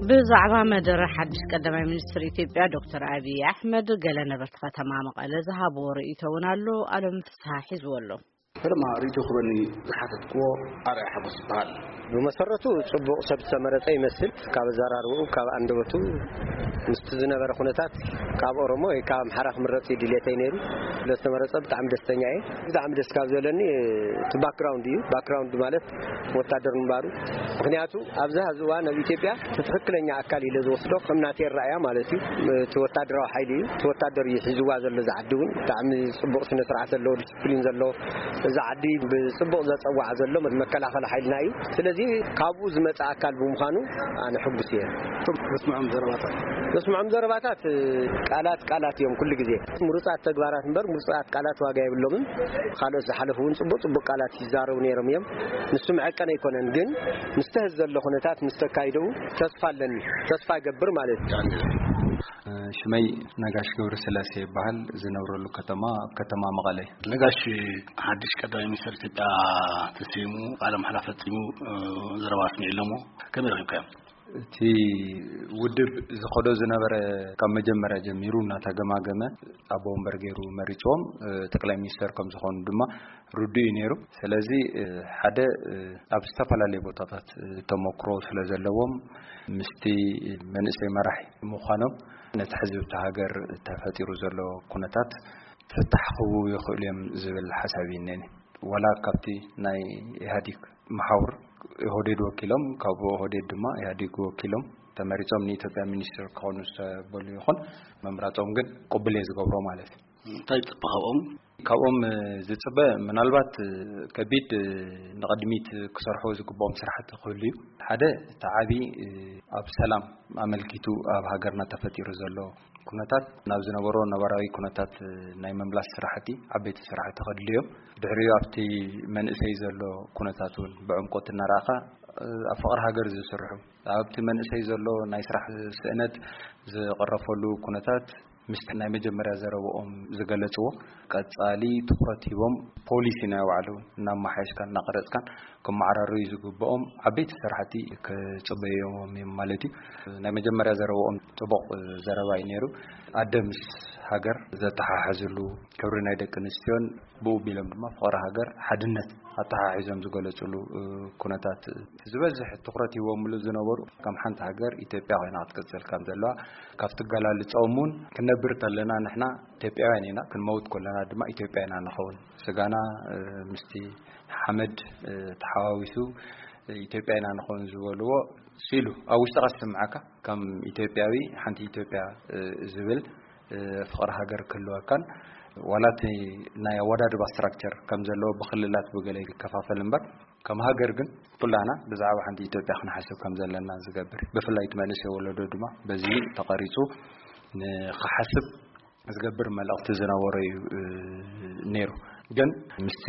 ብዛዕባ መደረ ሓድሽ ቀዳማይ ሚኒስትር ኢትዮጵያ ዶክተር ኣብይ ኣሕመድ፣ ገለ ነበርቲ ከተማ መቐለ ዝሃብዎ ርእይቶ እውን ኣሎ። ኣለም ፍስሃ ሒዝዎ ኣሎ። ፈለማ ርእይቶ ክበኒ ዝሓተትክዎ ኣርኣያ ሓጎስ ይበሃል። ብመሰረቱ ጽቡቕ ሰብ ዝተመረጸ ይመስል። ካብ ኣዘራርባኡ፣ ካብ ኣንደበቱ፣ ምስቲ ዝነበረ ኩነታት፣ ካብ ኦሮሞ ወይ ካብ ኣምሓራ ክምረጽ እዩ ድሌተይ ነይሩ። ስለዝተመረጸ ብጣዕሚ ደስተኛ እየ። ብጣዕሚ ደስ ካብ ዘለኒ እቲ ባክግራውንድ እዩ። ባክግራውንድ ማለት ወታደር ምንባሩ። ምክንያቱ ኣብዚ ሀዚ እዋን ኣብ ኢትዮጵያ እቲ ትኽክለኛ ኣካል ኢለ ዝወስዶ ከም ናተይ ኣረኣእያ ማለት እዩ። እቲ ወታደራዊ ሓይሊ እዩ። እቲ ወታደር እዩ ሒዝዋ ዘሎ። እዚ ዓዲ እውን ብጣዕሚ ጽቡቕ ስነ ስርዓት ዘለዎ፣ ዲስፕሊን ዘለዎ፣ እዚ ዓዲ ብጽቡቕ ዘጸዋዕ ዘሎ መከላኸሊ ሓይልና እዩ። ስለዚ ካብኡ ዝመጽእ ኣካል ብምዃኑ ኣነ ሕጉስ እየ። ዘስምዖም ዘረባታት? ዘስምዖም ዘረባታት ቃላት ቃላት እዮም። ኩሉ ግዜ ምሩጻት ተግባራት እምበር ምሩጻት ቃላት ዋጋ የብሎምን። ካልኦት ዝሓለፉ እውን ጽቡቕ ጽቡቕ ቃላት ይዛረቡ ነይሮም እዮም። ንሱ መዐቀኒ ኣይኮነን፣ ግን ምስ ተህዝ ዘሎ ኩነታት ምስ ተካይደኡ ተስፋ ኣለኒ። ተስፋ ይገብር ማለት እዩ። ሽመይ ነጋሽ ገብረስላሴ ይበሃል። ዝነብረሉ ከተማ ኣብ ከተማ መቐለ። ነጋሽ፣ ሓድሽ ቀዳማይ ሚኒስትር ኢትዮጵያ ተሰይሙ ቃለ መሓላ ፈጺሙ፣ እ፣ ዘረባ ኣስሚዑ ኣሎ እሞ ከመይ ረኺብካዮ? እቲ ውድብ ዝኸዶ ዝነበረ ካብ መጀመርያ ጀሚሩ እናተገማገመ ኣቦ ወንበር ገይሩ መሪፅዎም፣ እ፣ ጠቅላይ ሚኒስተር ከም ዝኾኑ ድማ ርዱእ እዩ ነይሩ። ስለዚ፣ እ፣ ሓደ፣ እ፣ ኣብ ዝተፈላለዩ ቦታታት፣ እ፣ ተመክሮ ስለ ዘለዎም ምስቲ መንእሰይ መራሒ ምዃኖም ነቲ ሕዚ ኣብቲ ሃገር ተፈጢሩ ዘሎ ኩነታት ፍታሕ ክህቡ ይኽእሉ እዮም ዝብል ሓሳብ እዩ እኔኒ። ዋላ ካብቲ ናይ ኢህኣዲግ መሓውር ኢህወዴድ ወኪሎም፣ ካብ ኢህወዴድ ድማ ኢህኣዲግ ወኪሎም ተመሪጾም ንኢትዮጵያ ሚኒስትር ክኾኑ ዝተበሉ ይኹን፣ ምምራጾም ግን ቅቡል እየ ዝገብሮ ማለት እዩ። እንታይ ትጽበ ካብኦም? ካብኦም ዝጽበ ምናልባት ከቢድ ንቕድሚት ክሰርሑ ዝግብኦም ስራሕቲ ክህሉ እዩ። ሓደ እቲ ዓቢ ኣብ ሰላም ኣመልኪቱ ኣብ ሃገርና ተፈጢሩ ዘሎ ኩነታት ናብ ዝነበሮ ነባራዊ ኩነታት ናይ ምምላስ ስራሕቲ ዓበይቲ ስራሕቲ ከድልዮም። ድሕሪኡ ኣብቲ መንእሰይ ዘሎ ኩነታት እውን ብዕምቆት እናረኣኻ ኣብ ፍቕሪ ሃገር ዝስርሑ ኣብቲ መንእሰይ ዘሎ ናይ ስራሕ ስእነት ዝቕረፈሉ ኩነታት ምስቲ ናይ መጀመርያ ዘረብኦም ዝገለጽዎ ቀጻሊ ትኹረት ሂቦም ፖሊሲ ናይ ባዕሉ እናመሓየሽካን እናቐረጽካን ክመዓራረዩ ዝግብኦም ዓበይቲ ስራሕቲ ክጽበዮም እዮም ማለት እዩ። ናይ መጀመርያ ዘረብኦም ጽቡቕ ዘረባ እዩ ነይሩ። ኣደ ምስ ሃገር ዘተሓሕዝሉ ክብሪ ናይ ደቂ ኣንስትዮን ብኡ ቢሎም ድማ ፍቕሪ ሃገር ሓድነት ኣተሓሒዞም ዝገለጽሉ ኩነታት ዝበዝሕ ትኹረት ሂቦምሉ ዝነበሩ ከም ሓንቲ ሃገር ኢትዮጵያ ኮይና ክትቅጽል ከም ዘለዋ ካብቲ ኣገላልጻኦም እውን ክነብር ተለና ንሕና ኢትዮጵያውያን ኢና፣ ክንመውት ከለና ድማ ኢትዮጵያ ኢና ንኸውን። ስጋና ምስቲ ሓመድ ተሓዋዊሱ ኢትዮጵያ ኢና ንኸውን ዝበልዎ ስኢሉ ኣብ ውሽጥኻ ዝስምዓካ ከም ኢትዮጵያዊ ሓንቲ ኢትዮጵያ ዝብል ፍቕሪ ሃገር ክህልወካን ዋላ እቲ ናይ ኣወዳድባ ስትራክቸር ከም ዘለዎ ብክልላት ብገለ ይከፋፈል እምበር ከም ሃገር ግን ኩላና ብዛዕባ ሓንቲ ኢትዮጵያ ክንሓስብ ከም ዘለና ዝገብር እዩ። ብፍላይ እቲ መንእሰይ ወለዶ ድማ በዚ ተቐሪጹ ንክሓስብ ዝገብር መልእኽቲ ዝነበሮ እዩ ነይሩ። ግን ምስቲ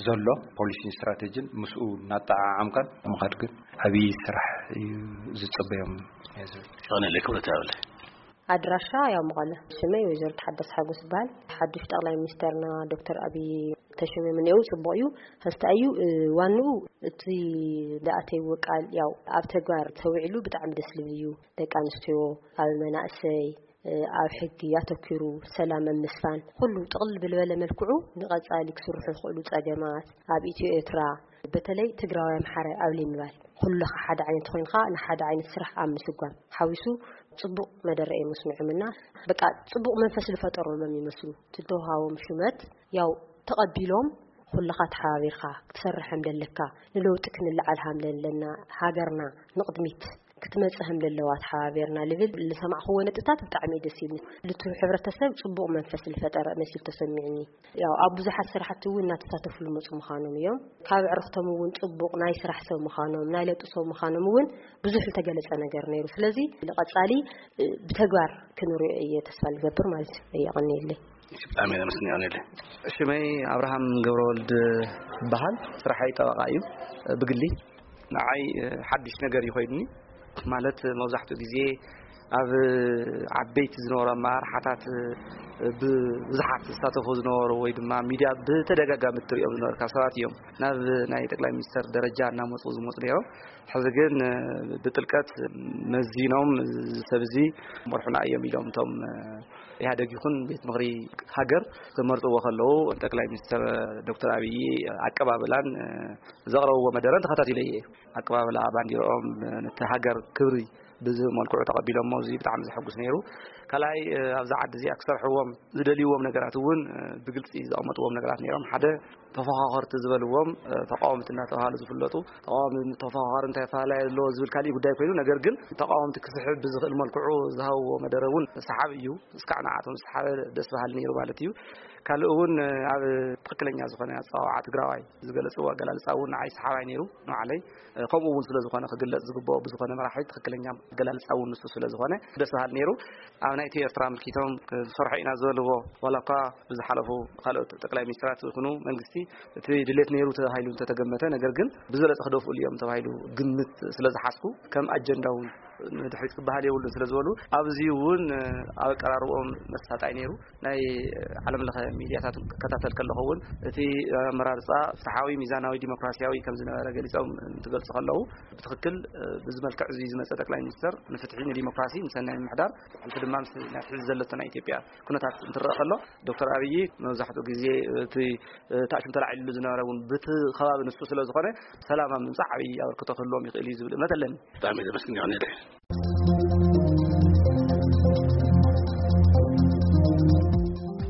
ዘሎ ፖሊሲን ስትራቴጂን ምስኡ እናጠዓዓምካን ምኻድ ግን ዓብዪ ስራሕ እዩ ዝጽበዮም እየ ዝብል። ይቐንየለይ ክብረት ያብለይ። ኣድራሻ ያው መቐለ። ሽመይ ወይዘሮ ተሓዳስ ሓጎስ ይበሃል። ሓዱሽ ጠቕላይ ሚኒስተርና ዶክተር ኣብይ ተሸሚሙ እኒአው ጽቡቕ እዩ። ኸስተ እዩ፣ እ፣ ዋንኡ እቲ ዝኣተይዎ ቃል ያው ኣብ ተግባር ተውዒሉ ብጣዕሚ ደስ ዝብል እዩ። ደቂ ኣንስትዮ፣ ኣብ መናእሰይ፣ እ፣ ኣብ ሕጊ ኣተኪሩ ሰላም ኣብ ምስፋን ኩሉ ጥቕልል ብልበለ መልክዑ ንቐጻሊ ክስርሑ ዝኽእሉ ጸገማት ኣብ ኢትዮ ኤርትራ በተለይ ትግራዋይ ኣምሓራይ ኣብ ዘይምባል ኩልኻ ሓደ ዓይነት ኮይንካ ንሓደ ዓይነት ስራሕ ኣብ ምስጓም ሓዊሱ ጽቡቕ መደረ እዮም ኣስሚዖምና። በቃ ጽቡቕ መንፈስ ዝፈጠሮም እዮም ይመስሉ። እቲ ዝተውሃቦም ሹመት ያው ተቐቢሎም ኩልኻ ተሓባቢርካ ክትሰርሕ ከም ዘለካ ንለውጢ ክንለዓል ከም ዘለና ሃገርና ንቕድሚት ክትመጽእ ከም ዘለዋ ተሓባቢርና ልብል ዝሰማዕክዎ ነጥብታት ብጣዕሚ እዩ ደስ ይብልኒ። ልቱ ሕብረተሰብ ጽቡቕ መንፈስ ዝፈጠረ መሲሉ ተሰሚዑኒ። ያው ኣብ ብዙሓት ስራሕቲ እውን እናተሳተፉ ዝመፁ ምዃኖም እዮም። ካብ ዕርኽቶም እውን ጽቡቕ ናይ ስራሕ ሰብ ምዃኖም ናይ ለውጢ ሰብ ምዃኖም እውን ብዙሕ ዝተገለጸ ነገር ነይሩ። ስለዚ ንቐጻሊ እ፣ ብተግባር ክንሪኦ እየ ተስፋ ዝገብር ማለት እዩ። የቐንየለይ። ብጣዕሚ እየ ኣመስግን። የቐንየለይ። ሽመይ ኣብርሃም ገብረወልድ ይበሃል። ስራሐይ ጠበቃ እዩ። ብግሊ ንዓይ ሓድሽ ነገር እዩ ኮይኑኒ። ማለት መብዛሕትኡ ግዜ ኣብ ዓበይቲ ዝነበሩ ኣመራርሓታት ብብዙሓት ዝሳተፉ ዝነበሩ ወይ ድማ ሚድያ ብተደጋጋሚ እትሪኦም ዝነበርካ ሰባት እዮም ናብ ናይ ጠቅላይ ሚኒስተር ደረጃ እናመፁ ዝመፁ ነይሮም። ሕዚ ግን ብጥልቀት መዚኖም እዚ ሰብ እዚ መርሑና እዮም ኢሎም እቶም ኢህኣደግ ይኹን ቤት ምኽሪ ሃገር ክመርፅዎ ከለዉ ጠቅላይ ሚኒስተር ዶክተር ኣብይ ኣቀባብላን ዘቕረብዎ መደረን ተኸታቲለ እየ። ኣቀባብላ ባንዲርኦም ነቲ ሃገር ክብሪ ብዝህብ መልክዑ ተቐቢሎሞ፣ እዚ ብጣዕሚ ዘሐጉስ ነይሩ። ካልኣይ ኣብዛ ዓዲ እዚኣ ክሰርሕዎም ዝደልይዎም ነገራት እውን ብግልፂ ዘቐመጥዎም ነገራት ነይሮም። ሓደ ተፈኻኸርቲ ዝበልዎም ተቃወምቲ እናተባሃሉ ዝፍለጡ ተቃዋሚ ተፈኻኻሪ እንታይ ኣፈላላይ ኣለዎ ዝብል ካሊእ ጉዳይ ኮይኑ፣ ነገር ግን ተቃወምቲ ክስሕብ ብዝኽእል መልክዑ ዝሃብዎ መደረ እውን ሰሓቢ እዩ። እስካዕ ንዓቶም ዝሰሓበ ደስ በሃሊ ነይሩ ማለት እዩ። ካልእ እውን ኣብ ትኽክለኛ ዝኾነ ኣፀዋውዓ ትግራዋይ ዝገለፅዎ ኣገላልፃ እውን ንዓይ ሰሓባይ ነይሩ ንባዕለይ። ከምኡ እውን ስለ ዝኾነ ክግለፅ ዝግብኦ ብዝኾነ መራሒ ትኽክለኛ ኣገላልፃ እውን ንሱ ስለ ዝኾነ ደስ በሃሊ ነይሩ። ኣብ ናይቲ ኤርትራ ኣመልኪቶም ክንሰርሖ ኢና ዝበልዎ ዋላ እኳ ብዝሓለፉ ካልኦት ጠቅላይ ሚኒስትራት ይኹኑ መንግስቲ እቲ ድሌት ነይሩ ተባሂሉ እንተተገመተ፣ ነገር ግን ብዝበለፀ ክደፍኡሉ እዮም ተባሂሉ ግምት ስለ ዝሓዝኩ ከም ኣጀንዳ እውን ንድሕሪት ክበሃል የብሉን ስለ ዝበሉ ኣብዚ እውን ኣብ ኣቀራርቦኦም መሳጣይ ነይሩ። ናይ ዓለም ለኸ ሚድያታት ክከታተል ከለኹ እውን እቲ ኣመራርፃ ፍትሓዊ፣ ሚዛናዊ፣ ዲሞክራሲያዊ ከም ዝነበረ ገሊፆም እንትገልፁ ከለዉ ብትኽክል ብዚ መልክዕ እዚ ዝመፀ ጠቅላይ ሚኒስትር ንፍትሒ፣ ንዲሞክራሲ፣ ንሰናይ ምምሕዳር ብሕልፊ ድማ ምስ ናይ ሕዚ ዘለቶ ናይ ኢትዮጵያ ኩነታት እንትረአ ከሎ ዶክተር ኣብይ መብዛሕትኡ ግዜ እቲ ታእሽም ተላዒሉ ዝነበረ እውን ብቲ ከባቢ ንሱ ስለ ዝኾነ ሰላም ኣብ ምምፃእ ዓብዪ ኣበርክቶ ክህልዎም ይኽእል እዩ ዝብል እምነት ኣለኒ። ብጣዕሚ ዘመስግን ይሆን።